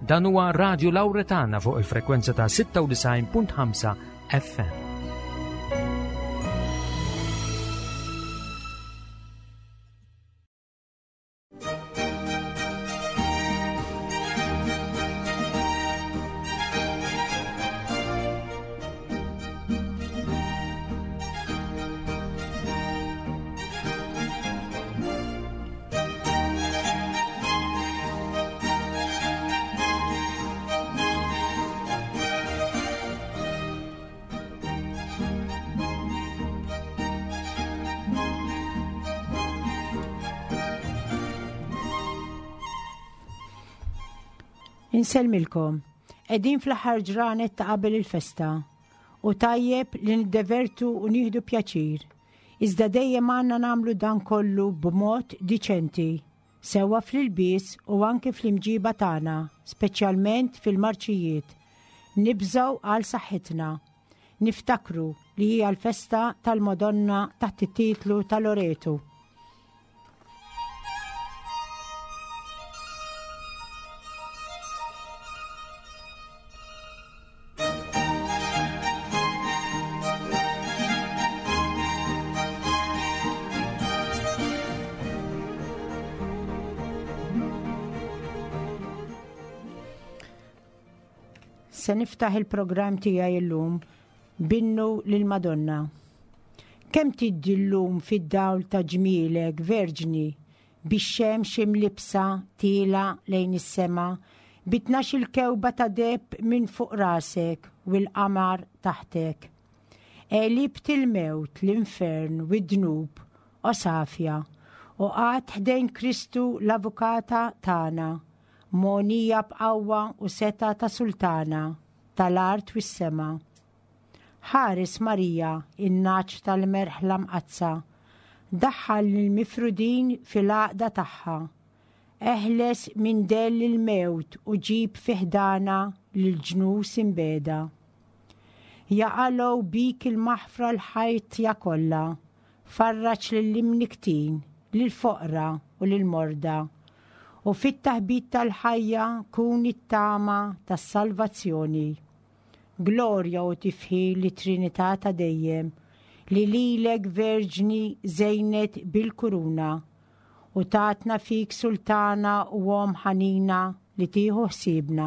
Dan huwa Radio Lauretana fuq il-frekwenza ta' 96.5 FM. Insellmilkom. Qegħdin fl-aħħar ġranet ta' qabel il-festa u tajjeb li niddevertu u nieħdu pjaċir. Iżda dejjem għandna nagħmlu dan kollu b'mod diċenti, sewwa fl-ilbies u anki fl-imġiba tagħna, speċjalment fil-marċijiet. Nibżgħu għal saħħitna. Niftakru li hija l-festa tal-Madonna taħt it-titlu ta' Loretu. Se niftaħ il-programm tiegħi illum binnu lil Madonna. Kemm tiddi llum fid-dawl ta' ġmielek, Verġni, bix-xemx imlibbsa tielgħa lejn is-sema, bi tnax-il kewba ta' deheb minn fuq rasek u l-qamar taħtek. Għelibt il-mewt, l-infern u d-dnub, o safja, u qgħadt ħdejn Kristu l-Avukata tagħna, mogħnija b'qawwa u setgħa ta' sultana tal-art u s-sema. Ħares Marija, in-nagħaġ tal-merħla mqaddsa. Daħħal lill-mifrudin fil-għaqda tagħha. Eħles minn dell il-mewt u ġib fi ħdanha lill-ġnus imbiegħda. Jaqalgħu bik il-maħfra l-ħajtja kollha. Farraġ lill-imnikktin, lill-foqra u lill-morda. U fit-taħbit tal-ħajja kun it-tama tas-salvazzjoni. Glorja u tifħir lit-Trinità ta' dejjem, li lilek Verġni żejnet bil-kuruna, u tatna fik Sultana u Omm ħanina li tieħu ħsiebna.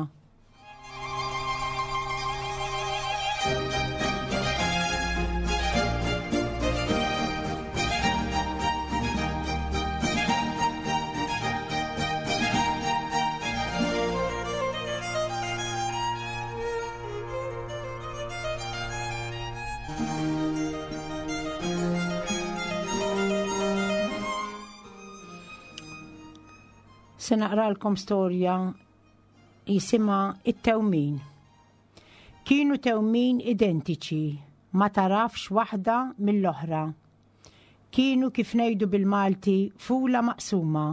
Se naqralkom storja jisimha it-tewmin. Kienu tewmin identiċi, ma tarafx waħda mill-oħra. Kienu kif ngħidu bil-Malti fula maqsuma.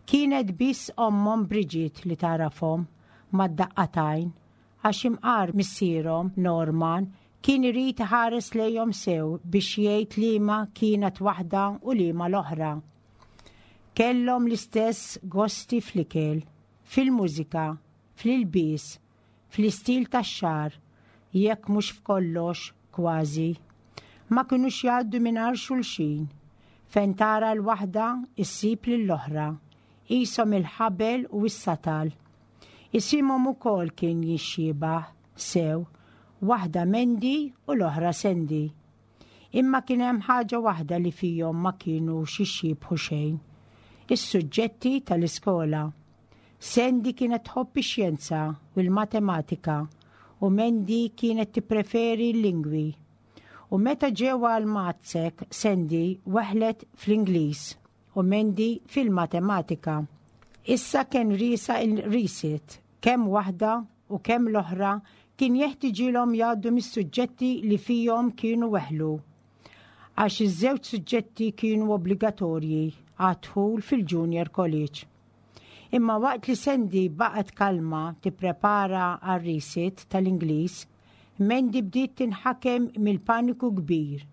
Kienet biss ommhom Bridget li tagħrafhom mad-daqqa t'għajn għax imqar missierhom Norman kien irid iħares lejhom sew biex jgħid liema kienet waħda u liema l-oħra. Kellhom l-istess gosti fl-ikel, fil-mużika, fl-ilbies, fl-istil tax-xagħar, jekk mhux f'kollox, kważi. Ma kinux jgħaddu mingħajr xulxin. Fejn tara l-waħda, issib lill-oħra. Qishom il-ħabel u s-satal. Isimhom ukoll kien jixxiebah sew, waħda Mandy u l-oħra Sandy. Imma kien hemm ħaġa waħda li fihom ma kinux jixxiebħu xejn. Is-suġġetti tal-iskola. Sandy kienet tħobb ix-xjenza u l-matematika u Mandy kienet tippreferi l-lingwi. U meta ġew għal Matsek, Sandy weħlet fl-Ingliż u Mandy fil-matematika. Issa kien riesa il-resit, kemm waħda u kemm l-oħra kien jeħtiġilhom jgħaddu mis-suġġetti li fihom kienu weħlu. Għax iż-żewġ suġġetti kienu obbligatorji għad-dħul fil-Junior College. Imma waqt li Sandy baqgħet kalma tipprepara għar-resit tal-Ingliż, Mandy bdiet tinħakem mill-paniku kbir.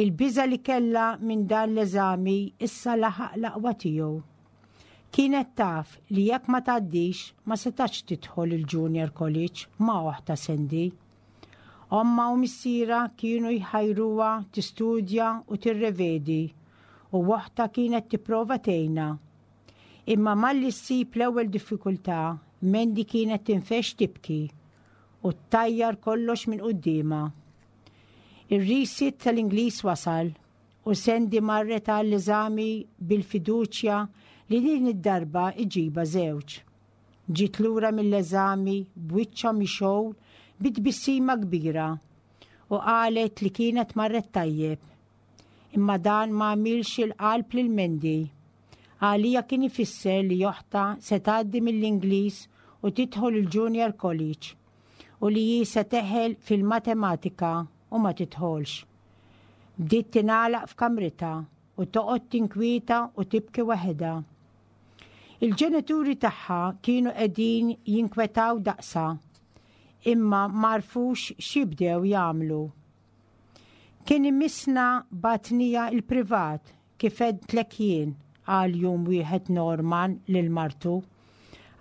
Il-biża' li kellha minn dan l-eżami issa laħaq l-aqwa tiegħu. Kienet taf li jekk ma tgħaddix ma setax tidħol il-Junior College ma' oħtha Sandy. Ommha u missierha kienu jħajruha tistudja u tirrevedi u oħtha kienet tipprova tgħinha. Imma malli ssib l-ewwel diffikultà, Mandy kienet tinfexx tibki u ttajjar kollox minn quddiemha. Ir-resit tal-Ingliż wasal u Sandy marret għall-eżami bil-fiduċja li din id-darba iġibha żewġ. Ġiet lura mill-eżami b'wiċċha mixgħul bi tbissima kbira u qalet li kienet marret tajjeb. Imma dan ma għamilx il-qalb lil Mandy. Għalija kien ifisser li oħtha se tgħaddi mill-Ingliż u tidħol il-Junior College u li hi se teħel fil-matematika u ma tidħolx. Bdiet tingħalaq f'kamritha u toqgħod tinkwieta u tibki waħedha. Il-ġenituri tagħha kienu qegħdin jinkwetaw daqsha, imma m'għarfux x'jibdew jagħmlu. Kien imissna bagħtniha l-privat kif għedtlek jien, qal jum wieħed Norman lil martu.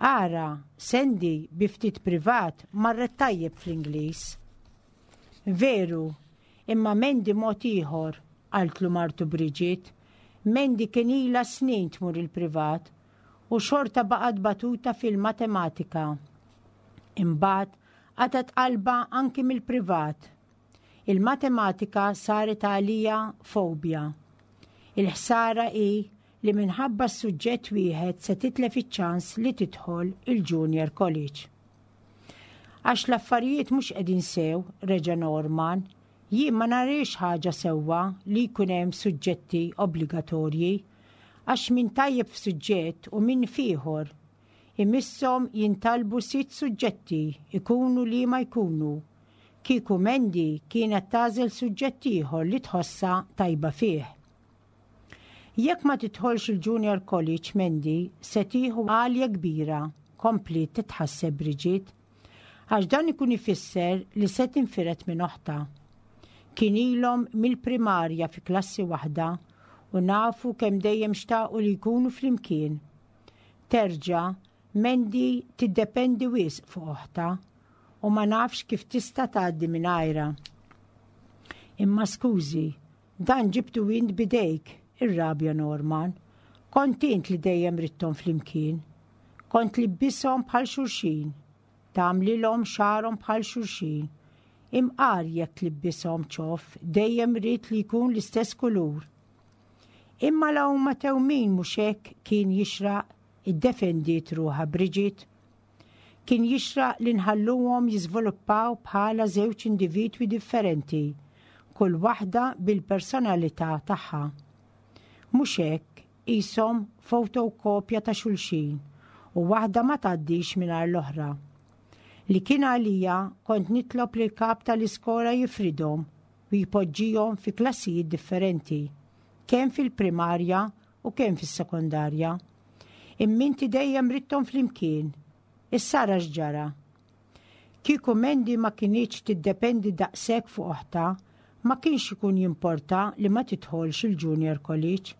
Ara, Sandy bi ftit privat marret tajjeb fl-Ingliż. Veru, imma Mandy mod ieħor, qaltlu martu Bridget. Mandy kien ilha snin tmur il-privat u xorta baqgħet batuta fil-matematika. Imbagħad qatgħet qalbha anki mill-privat. Il-matematika saret għalija fobja. Il-ħsara hi li minħabba s-suġġett wieħed se titlef iċ-ċans li tidħol il-Junior College. Għax l-affarijiet mhux qegħdin sew, reġa' Norman, jien ma nariex ħaġa sewwa li jkun hemm suġġetti obbligatorji, għax min tajjeb f'suġġett u min f'ieħor. Imisshom jintalbu sitt suġġetti, ikunu liema jkunu. Kieku Mandy kienet tagħżel suġġett ieħor li tħossha tajba fih. Jekk ma tidħolx il-Junior College Mandy se tieħu għalja kbira, kompliet titħasseb Bridget. Għax dan ikun ifisser li se tinfired minn oħtha. Kien ilhom mill-primarja fi klassi waħda u nafu kemm dejjem xtaqu li jkunu flimkien. Terġa' Mandy tiddependi wisq fuq oħtha u ma nafx kif tista' tgħaddi mingħajrha. Imma skużi, Dan ġibtu int b'idejk, irrabja Norman. Kont int li dejjem ridthom flimkien. Kont tlibbishom bħal xulxin. Tagħmlilhom xagħarhom bħal xulxin. Imqar jekk tlibbishom ċoff, dejjem ridt li jkun l-istess kulur. Imma la huma tewmin mhux hekk kien jixraq, iddefendiet ruħha Bridget. Kien jixraq li nħalluhom jiżviluppaw bħala żewġ individwi differenti, kull waħda bil-personalità tagħha. Mhux hekk, qishom fotokopja ta' xulxin u waħda ma tgħaddix mingħajr l-oħra. Li kien għalija kont nitlob lill-kap tal-iskola jifridhom u jpoġġihom fi klassijiet differenti, kemm fil-primarja u kemm fis-sekondarja. Imma inti dejjem ridthom flimkien. Issa ara x'ġara. Kieku Mandy ma kinitx tiddependi daqshekk fuq oħtha, ma kienx ikun jimporta li ma tidħolx il-Junior College.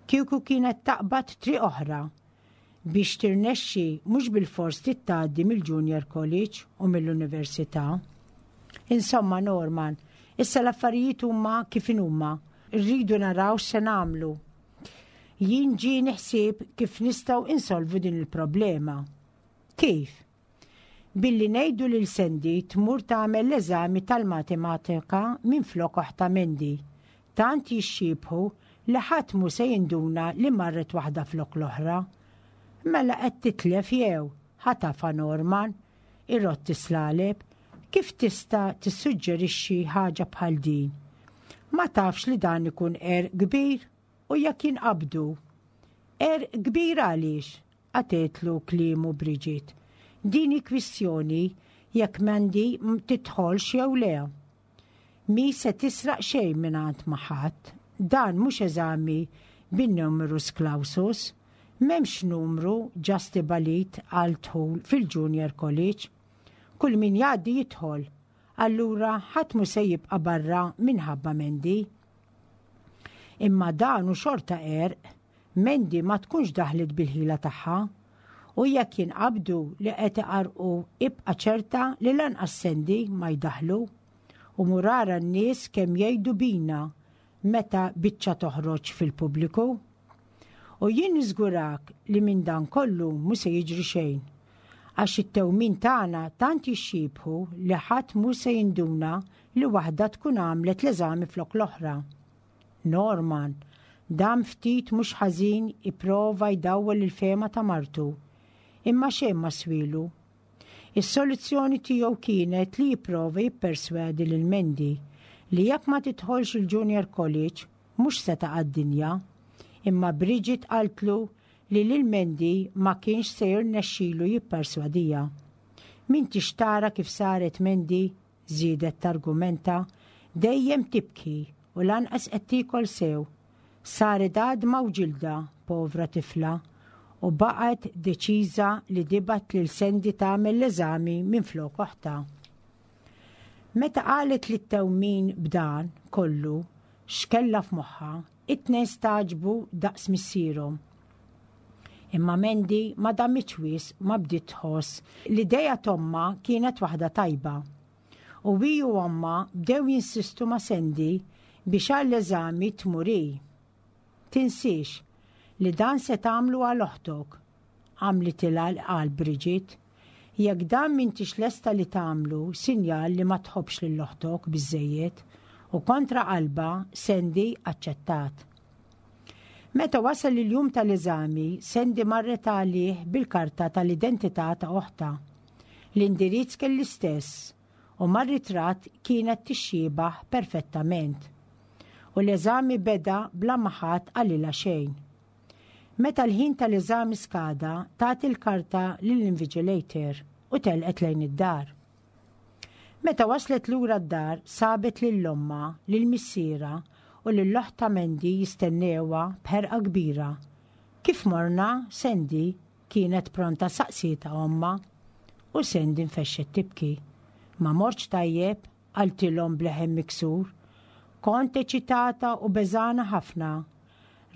Kieku kienet taqbad triq oħra. Biex tirnexxi mhux bilfors trid tgħaddi mill-Junior College u mill-Università. Insomma, Norman, issa l-affarijiet huma kif inhuma. Irridu naraw x'se nagħmlu. Jien ġieni ħsieb kif nistgħu insolvu din il-problema. Kif? Billi ngħidu lil Sandy tmur tagħmel l-eżami tal-matematika minflok oħtha Mandy. Tant jixxiebħu li ħadd mhu se jinduna li marret waħda flok l-oħra. Mela qed titlef jew, ħatafha Norman, irott is-slaleb, kif tista' tissuġġerixxi ħaġa bħal din? Ma tafx li dan ikun qerq kbir? U jekk jinqabdu? Qerq kbir għaliex? qatgħetlu kliemu Bridget. Din hi kwistjoni jekk Mandy tidħolx jew le. Mhi se tisraq xejn mingħand ma' ħadd. Dan mhux eżami bin-numerus clausus. M'hemmx numru ġa stibalit għal dħul fil-Junior College. Kull min jgħaddi jidħol. Allura ħadd mhu se jibqa' barra minħabba Mandy. Imma dan hu xorta qerq. Mandy ma tkunx daħlet bil-ħila tagħha. U jekk jinqabdu li qed iqarrqu ibqa' ċerta li lanqas Sandy ma jdaħħlu. U mur ara n-nies kemm jgħidu bina meta biċċa toħroġ fil-pubbliku. U jien niżgurak li minn dan kollu mhu se jiġri xejn. Għax it-tewmin tagħna tant jixxiebħu li ħadd mhu se jinduna li waħda tkun għamlet l-eżami flok l-oħra. Norman, dam ftit mhux ħażin ipprova jdawwel il-fehma ta' martu, imma xejn ma swielu. Is-soluzzjoni tiegħu kienet li jipprova jipperswadi lil Mandy li jekk ma tidħolx il-Junior College mhux se taqa' d-dinja. Imma Bridget qaltlu li lil Mandy ma kienx se jirnexxilu jipperswadiha. M'intix tara kif saret Mandy żiedet targumenta, dejjem tibki u lanqas qed tiekol sew. Saret għadma u ġilda, povra tifla, u baqgħet deċiża li tibgħat lil Sandy tagħmel l-eżami minflok oħtha. Meta qalet lit-tewmin b'dan kollu x'kellha f'moħħha, it-tnejn stagħġbu daqs missierhom. Imma Mandy ma damitx wisq ma bdiet tħoss li l-idea t'ommha kienet waħda tajba. U hi u ommha bdew jinsistu ma' Sandy biex għall-eżami tmur hi. Tinsiex li dan se tagħmlu għal oħtok, għamlitilha l-qalb Bridget. Jekk dan m'intix lesta li tagħmlu, sinjal li ma tħobbx lil oħtok biżżejjed. U kontra qalbha, Sandy aċċettat. Meta wasal il-jum tal-eżami, Sandy marret għalih bil-karta tal-identità ta' oħtha. L-indirizz kien l-istess u mar-ritratt kienet tixxiebah perfettament. U l-eżami beda bla ma ħadd qalilha xejn. Meta l-ħin tal-eżami skada, tat il-karta lill-invigilator u telqet lejn id-dar. Meta waslet lura d-dar sabet lil ommha, lil missierha u lil oħtha Mandy jistennewha b'ħerqa kbira. Kif morna, Sandy? kienet pronta saqsietha ommha. U Sandy nfexxet tibki. Ma mortx tajjeb, qaltilhom b'leħen miksur. Kont eċitata u beżgħana ħafna.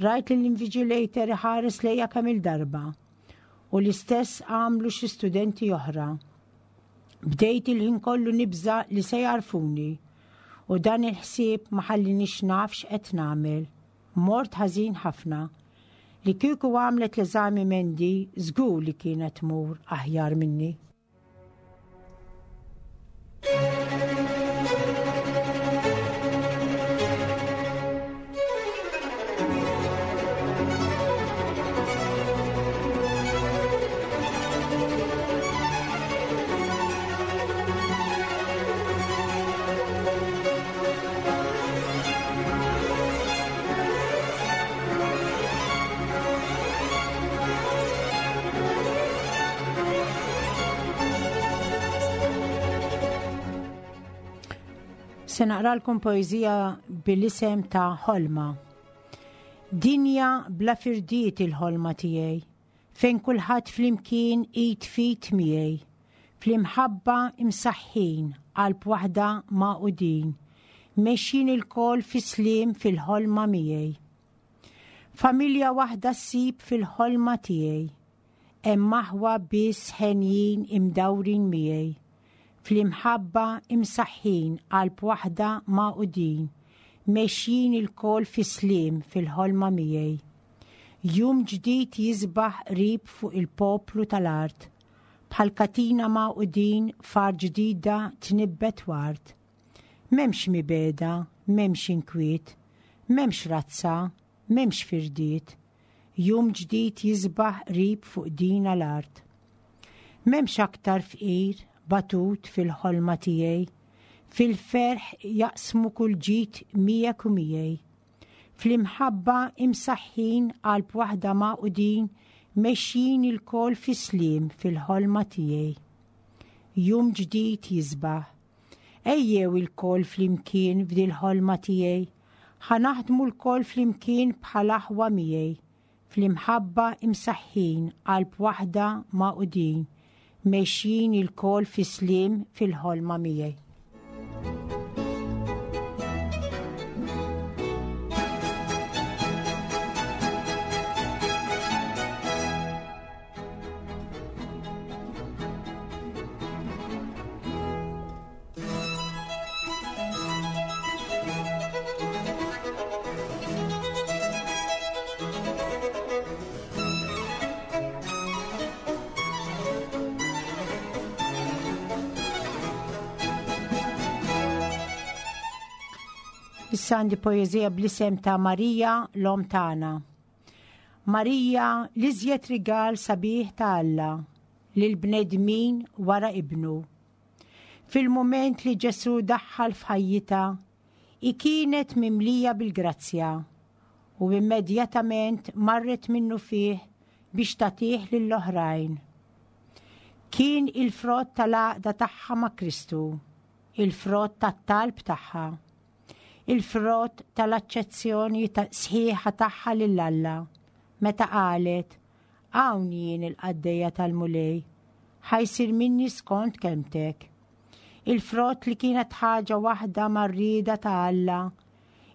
Rajt lill-invigilator iħares lejja kemm-il darba. U l-istess għamlu xi studenti oħra. Bdejt il-ħin kollu nibża' li se jagħrfuni. U dan il-ħsieb ma ħallinix naf x'qed nagħmel. Mort ħażin ħafna. Li kieku għamlet l-eżami Mandy, żgur li kienet tmur aħjar minni. Se naqralkom poeżija bil-isem ta' Ħolma. Dinja bla firdiet il-ħolma tiegħi, fejn kulħadd flimkien id f'id miegħi. Fl-imħabba imsaħħin, qalb waħda magħqudin, mexjin ilkoll fis-sliem fil-ħolma miegħi. Familja waħda ssib fil-ħolma tiegħi. Hemm aħwa biss henjin imdawrin miegħi. Fl-imħabba imsaħħin, qalb waħda magħqudin, mexjin ilkoll fis-sliem fil-ħolma miegħi. Jum ġdid jisbaħ qrib fuq il-poplu tal-art, Bħal katina magħqudin f'art ġdida tnibbet ward. M'hemmx mibegħda, m'hemmx inkwiet, m'hemmx razza, m'hemmx firdiet. Jum ġdid jisbaħ qrib fuq dina l-art. M'hemmx aktar fqir, batut fil-ħolma tiegħi. Fil-ferħ jaqsmu kull ġid miegħek u miegħi. Fl-imħabba imsaħħin qalb waħda magħqudin mexjin ilkoll fis-sliem fil-ħolma tiegħi. Jum ġdid jisbaħ. Ejjew ilkoll flimkien f'dil-ħolma tiegħi. Ħa naħdmu lkoll flimkien bħal aħwa miegħi. Fl-imħabba imsaħħin qalb waħda magħqudin mexjin ilkoll fis-sliem fil-ħolma miegħi. Issa għandi poeżija bl-isem ta' Marija l-Omm tagħna. Marija l-iżjed rigal sabiħ ta' Alla lill-bnedmin wara ibnu. Fil-mument li Ġesù daħħal f'ħajjitha, hi kienet mimlija bil-grazzja u immedjatament marret minnufih biex tagħtih lill-oħrajn. Kien il-frott tal-għaqda tagħha ma' Kristu, il-frott tat-talb tagħha, il-frott tal-aċċezzjoni sħiħa tagħha lil Alla, meta qalet, Hawn jien il-qaddejja tal-Mulej, ħa jsir minni skont kelmtek. Il-frott li kienet ħaġa waħda mar-rieda ta' Alla,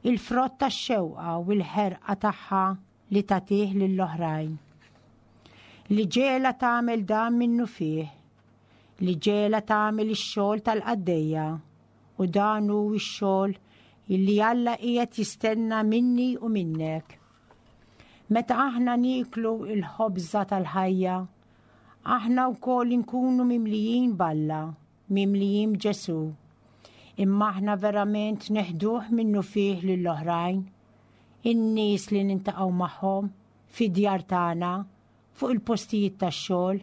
il-frott tax-xewqa u l-ħerqa tagħha li tagħtih lill-oħrajn. Li ġegħla tagħmel dan minnufih, li ġegħla tagħmel ix-xogħol tal-qaddejja, u dan hu x-xogħol li Alla qiegħed jistenna minni u minnek. Meta aħna nieklu l-ħobża tal-ħajja, aħna wkoll inkunu mimlijin b'Alla, mimlijin b'Ġesù. Imma aħna verament neħduh minnufih lill-oħrajn, in-nies li nintaqgħu magħhom, fid-djar tagħna, fuq il-postijiet tax-xogħol,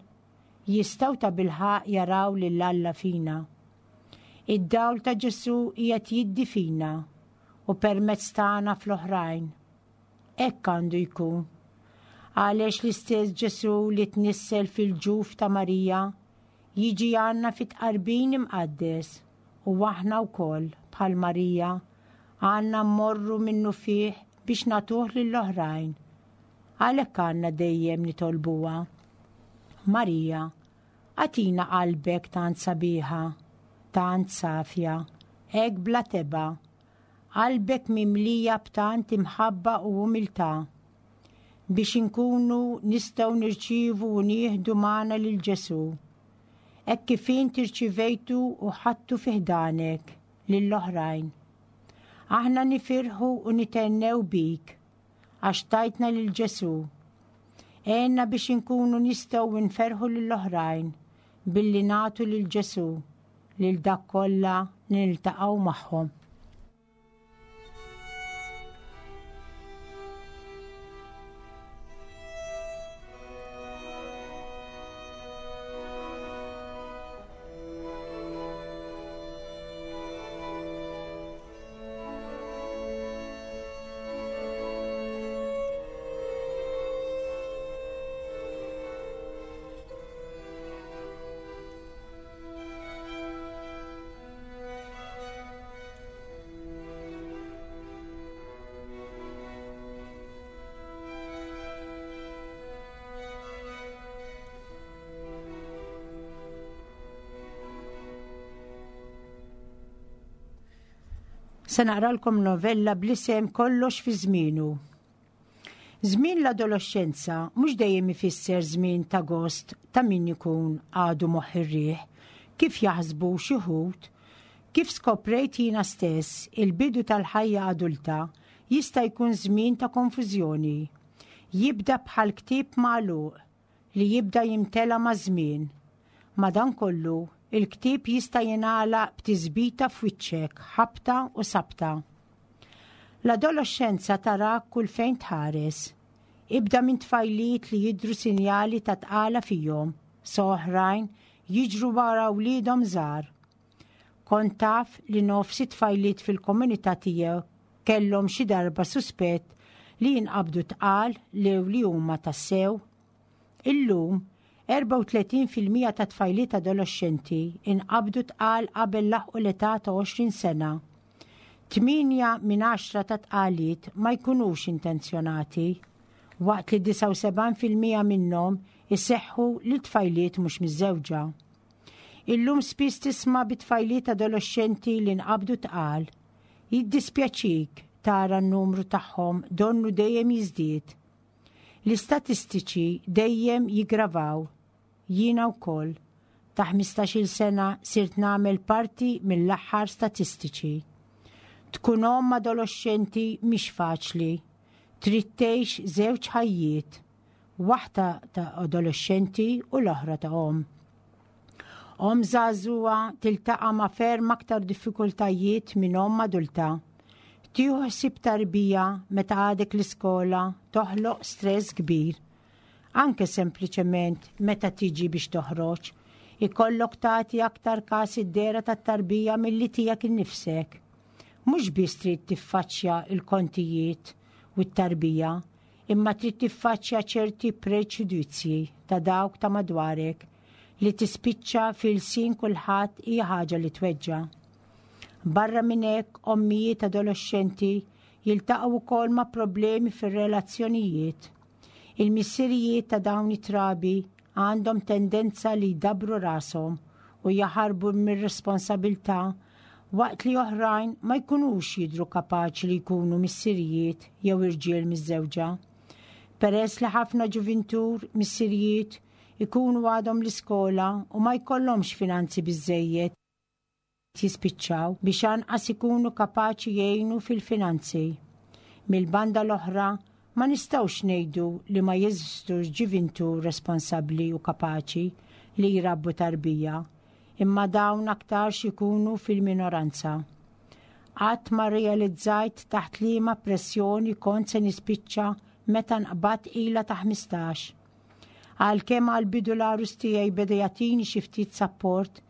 jistgħu tabilħaqq jaraw lil Alla fina. Id-dawl ta' Ġesù qiegħed jiddi fina u permezz tagħna fl-oħrajn. Hekk għandu jkun. Għaliex l-istess Ġesù li tnissel fil-ġuf ta' Marija jiġi għandna fit-tqarbin imqaddes u aħna wkoll, bħal Marija, għandna mmorru minnufih biex nagħtuh lill-oħrajn. Għalhekk għandna dejjem nitolbuha. Marija, agħtina qalbek tant sabiħa, tant safja, hekk bla tebgħa, Qalbek mimlija b'tant imħabba u umiltà, biex inkunu nistgħu nirċievu u nieħdu magħna lil Ġesù, hekk kif int irċivejtu u ħadtu fi ħdanek lill-oħrajn. Aħna nifirħu u nithennew bik għax tajtna lil Ġesù. Għenna biex inkunu nistgħu nferrħu lill-oħrajn billi nagħtu lil Ġesù lil dak kollha li niltaqgħu magħhom. Se naqralkom novella bl-isem Kollox fi żmienu. Żmien l-adoloxxenza mhux dejjem ifisser żmien ta' gost ta' min ikun għadu moħħ ir-riħ, kif jaħsbu xi wħud. Kif skoprejt jiena stess, il-bidu tal-ħajja adulta jista' jkun żmien ta' konfużjoni. Jibda bħal ktieb magħluq li jibda jimtela maż-żmien. Madankollu, il-ktieb jista' jingħalaq b'tisbita f'wiċċek, ħabta u sabta. L-adoloxxenza tarak kull fejn tħares. Ibda minn tfajliet li jidhru sinjali ta' tqala fihom, sa oħrajn jiġru wara wliedhom żgħar. Kont taf li nofs it-tfajliet fil-komunità tiegħek kellhom xi darba suspett li jinqabdu tqal lew li huma tassew? Illum, 34% ta' tfajliet adoloxxenti inqabdu tqal qabel laħqu l-età ta' 20 sena. Tmienja minn għaxra ta' tqaliet ma jkunux intenzjonati, waqt li 79% minnhom iseħħu lil tfajliet mhux miżżewġa. Illum spiss tisma' bi tfajliet adoloxxenti li nqabdu tqal. Jiddispjaċik tara n-numru tagħhom donnu dejjem jiżdied. L-istatistiċi dejjem jiggravaw. Jiena wkoll, ta' ħmistax-il sena sirt nagħmel parti mill-aħħar statistiċi. Tkun omm adoloxxenti mhix faċli. Trid tgħix żewġ ħajjiet. Waħda ta' adoloxxenti u l-oħra ta' omm. Omm żagħżugħa tiltaqa' ma' ferm aktar diffikultajiet minn omm adulta. Tieħu ħsieb tarbija meta għadek l-iskola toħloq stress kbir. Anke sempliċement meta tiġi biex toħroġ, ikollok tagħti aktar każ id-dehra tat-tarbija milli tiegħek innifsek. Mhux biss trid tiffaċċja l-kontijiet u t-tarbija, imma trid tiffaċċja ċerti preġudizzji ta' dawk ta' madwarek li tispiċċa fil-sin kulħadd hija ħaġa li tweġġa'. Barra minn hekk, ommijiet adolexxenti jiltaqgħu wkoll ma' problemi fir-relazzjonijiet. Il-missirijiet ta' dawn it-trabi għandhom tendenza li jdabbru rashom u jaħarbu mir-responsabilità waqt li oħrajn ma jkunux jidhru kapaċi li jkunu missirijiet jew irġiel miżżewġa. Peress li ħafna ġuvintur missirijiet ikunu għadhom l-iskola u ma jkollhomx finanzi biżżejjed jispiċċaw biex anqas ikunu kapaċi jgħinu fil-finanzi. Mill-banda l-oħra, ma nistgħux ngħidu li ma jeżistux ġuvintur responsabbli u kapaċi li jrabbu tarbija, imma dawn aktarx ikunu fil-minoranza. Qatt ma rrealizzajt taħt liema pressjoni kont se nispiċċa meta nqbadt tqila ta' 15. Għalkemm għall-bidu l-għarus tiegħi beda jagħtini xi ftit sapport,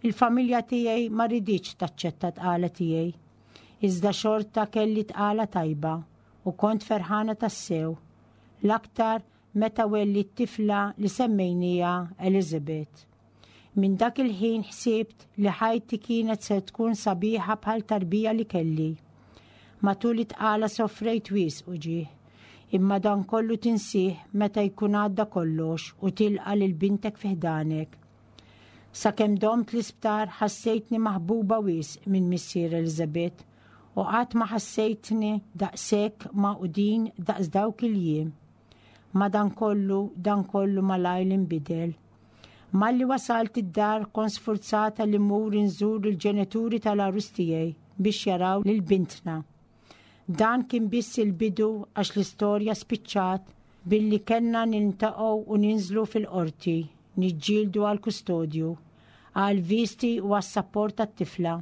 il-familja tiegħi ma riditx taċċetta tqala tiegħi. Iżda xorta kelli tqala tajba u kont ferħana tassew. L-aktar meta wellidt tifla li semmejnieha Elizabeth. Minn dak il-ħin ħsibt li ħajti kienet se tkun sabiħa bħal tarbija li kelli. Matul it-tqala sofrejt wisq uġigħ, imma dan kollu tinsih meta jkun għadda kollox u tilqa' lil bintek fi ħdanek. Sakemm domt l-isptar ħassejtni maħbuba wisq minn missier Elizabeth u qatt ma ħassejtni daqshekk magħqudin daqs dawk il-jiem. Madankollu dan kollu malajr inbidel. Malli wasalt id-dar kont sfurzata li mmur inżur il-ġenituri tal-għarus tiegħi biex jaraw lil bintna. Dan kien biss il-bidu għax l-istorja spiċċat billi kellna niltaqgħu u ninżlu fil-qorti niġġieldu għall-kustodju, għall-visti u għas-sapport tat-tifla.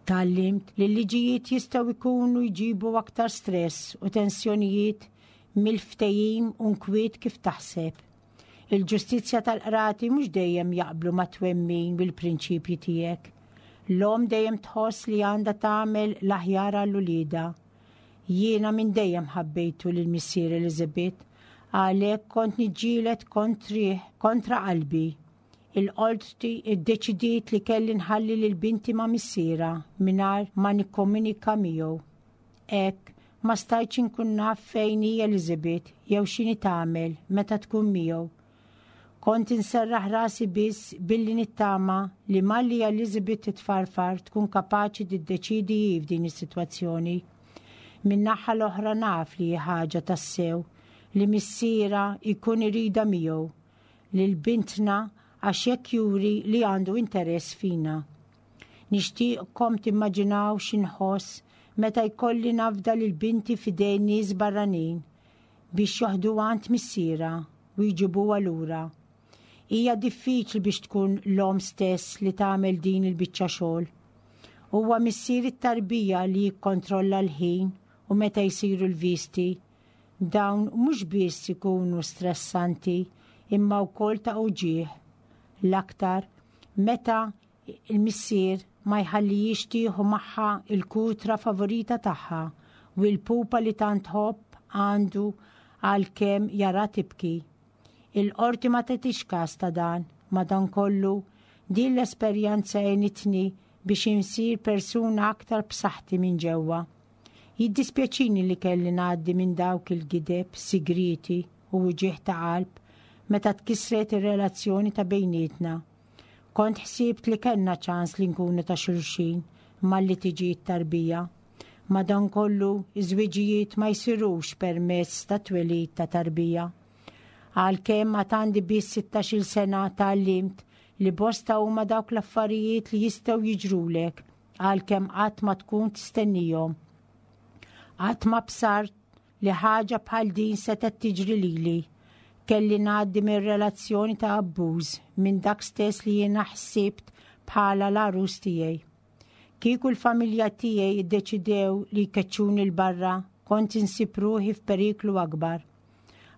Tgħallimt li l-liġijiet jistgħu jkunu jġibu aktar stress u tensjonijiet mill-ftehim u nkwiet kif taħseb. Il-ġustizzja tal-qrati mhux dejjem jaqblu ma' twemmin u l-prinċipji tiegħek. L-omm dejjem tħoss li għandha tagħmel l-aħjar għal uliedha. Jiena minn dejjem ħabbejtu lil missier Elizabeth, għalhekk kont niġġieled kontrih kontra qalbi. Il-qorti ddeċidiet li kelli nħalli lil binti ma' missierha mingħajr ma nikkomunika miegħu. Hekk, ma stajtx inkun naf fejn hi Elizabeth jew x'inhi tagħmel meta tkun miegħu. Kont inserraħ rasi biss billi nittama li malli Elizabeth titfarfar tkun kapaċi tiddeċiedi hi f'din is-sitwazzjoni. Min-naħa l-oħra naf li hi ħaġa tassew li missierha jkun iridha miegħu lil bintna għax hekk juri li għandu interess fina. Nixtieqkom timmaġinaw x'inħoss meta jkolli nafda lil binti f'idejn nies barranin biex joħduha għand missierha u jġibuha lura. Hija diffiċli biex tkun l-omm stess li tagħmel din il-biċċa xogħol. Huwa missier it-tarbija li jikkontrolla l-ħin u meta jsiru l-visti. Dawn mhux biss ikunu stressanti imma wkoll ta' uġigħ. L-aktar meta l-missier ma jħallihiex tieħu magħha l-kutra favorita tagħha u l-pupa li tant tħobb għandu għalkemm jara tibki. Il-qorti ma tagħtix każ ta' dan, madankollu din l-esperjenza għenitni biex insir persuna aktar b'saħħti minn ġewwa. Jiddispjaċini li kelli ngħaddi minn dawk il-gideb sigrieti u wġigħ ta' qalb meta tkissret ir-relazzjoni ta' bejnietna. Kont ħsibt li kellna ċans li nkunu ta' xulxin malli tiġi t-tarbija. Madankollu, iż-żwiġijiet ma jsirux permezz ta' twelid ta' tarbija. Għalkemm għad għandi biss sittax-il sena tgħallimt li bosta huma dawk l-affarijiet li jistgħu jiġrulek għalkemm qatt ma tkun tistennihom. Qatt ma bsart li ħaġa bħal din setgħet tiġri lili. Kelli ngħaddi minn relazzjoni ta' abbuż minn dak stess li jiena ħsibt bħala l-għarus tiegħi. Kieku l-familja tiegħi ddeċidew li jkeċċuni 'l barra, kont insib ruħi f'periklu akbar.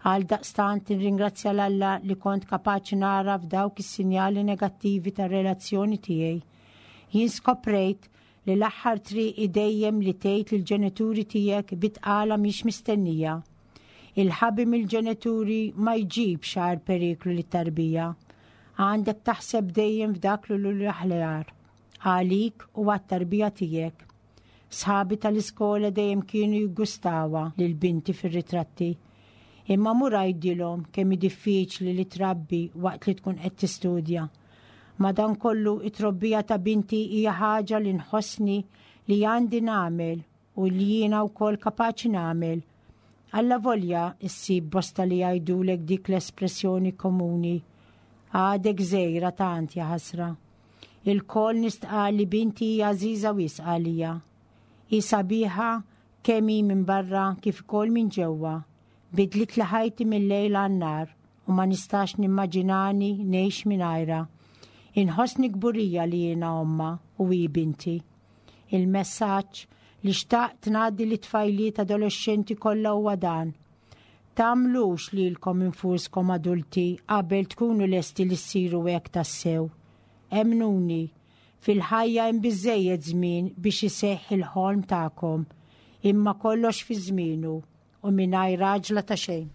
Għaldaqstant nirringrazzja 'l Alla li kont kapaċi nagħraf dawk is-sinjali negattivi tar-relazzjoni tiegħi. Jien skoprejt li l-aħħar triq hi dejjem li tgħid lill-ġenituri tiegħek bi tqala mhix mistennija. Il-ħabi mill-ġenituri ma jġibx agħar periklu lit-tarbija. Għandek taħseb dejjem f'dak li hu l-aħjar għalik u għat-tarbija tiegħek. Sħabi tal-iskola dejjem kienu jiggustawha lil binti fir-ritratti. Imma mur għidilhom kemm hi diffiċli li trabbi waqt li tkun qed tistudja. Madankollu it-trobbija ta' binti hija ħaġa li nħossni li għandi nagħmel u li jiena wkoll kapaċi nagħmel. Allavolja ssib bosta li jgħidulek dik l-espressjoni komuni, Għadek żgħira tant jaħasra. Ilkoll nistqarr li binti hija għażiża wisq għalija. Hi sabiħa kemm hi minn barra kif ukoll minn ġewwa. Bidlitli ħajti mil-lejl għan-nhar u ma nistax nimmaġinani ngħix mingħajrha. Inħossni kburija li jiena ommha u hi binti. Il-messaġġ li xtaqt ngħaddi lit-tfajliet adolexxenti kollha huwa dan, Tagħmlux lilkom infuskom adulti qabel tkunu lesti li ssiru hekk tassew. Emmnuni, fil-ħajja hemm biżżejjed żmien biex iseħħ il-ħolm tagħkom, imma kollox fi żmienu u mingħajr għaġla ta' xejn.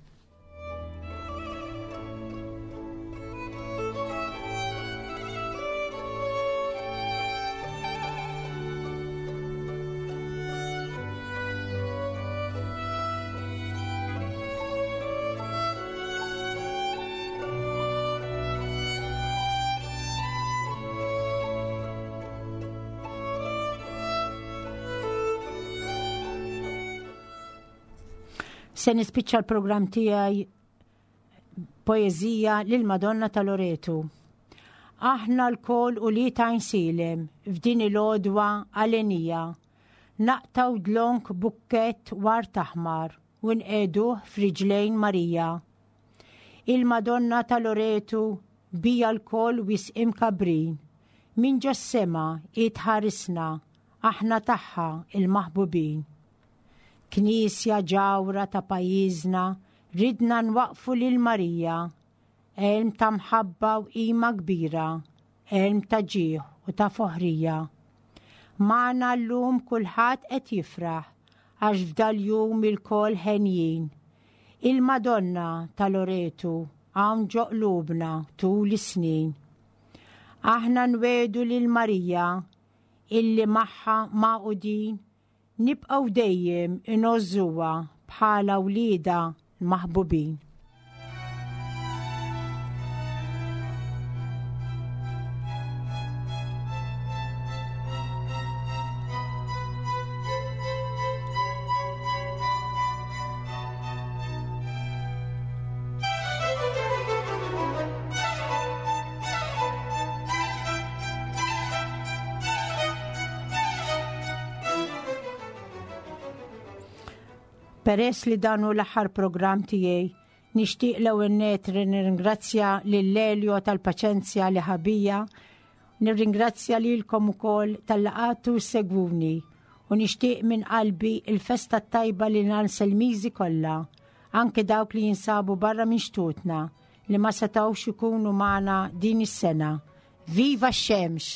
Se nispiċċa l-programm tiegħi poeżija lil Madonna ta' Loretu. Aħna lkoll ulied Għajnsielem f'din il-għodwa għalenija. Naqtgħu dlonk bukkett ward aħmar u nqiegħduh f'riġlejn Marija. Il-Madonna ta' Loretu bija lkoll wisq imkabbrin. Minn ġos-sema hi tħarisna, aħna tagħha il-maħbubin. Knisja ġawhra ta' pajjiżna ridna nwaqqfu lil Marija, għelm ta' mħabba u qima kbira, għelm ta' ġieħ u ta' foħrija. Magħna llum kulħadd qed jifraħ għax f'dal-jum ilkoll henjin. Il-Madonna ta' Loretu hawn ġo qlubna tul is-snin. Aħna nwiegħdu lil Marija illi magħha magħqudin Nibqgħu dejjem ingħożżuha bħala wliedha l-maħbubin. Peress li dan hu l-aħħar programm tiegħi, nixtieq l-ewwel nett nirringrazzja lil Elio tal-paċenzja li ħabija, nirringrazzja lilkom ukoll tal-laqatu segwuni u nixtieq minn qalbi il-festa tajba lil Anselmiżi kollha, anke dawk li jinsabu barra minn xtutna li ma setgħux ikunu magħna din is-sena. Viva x-xemx!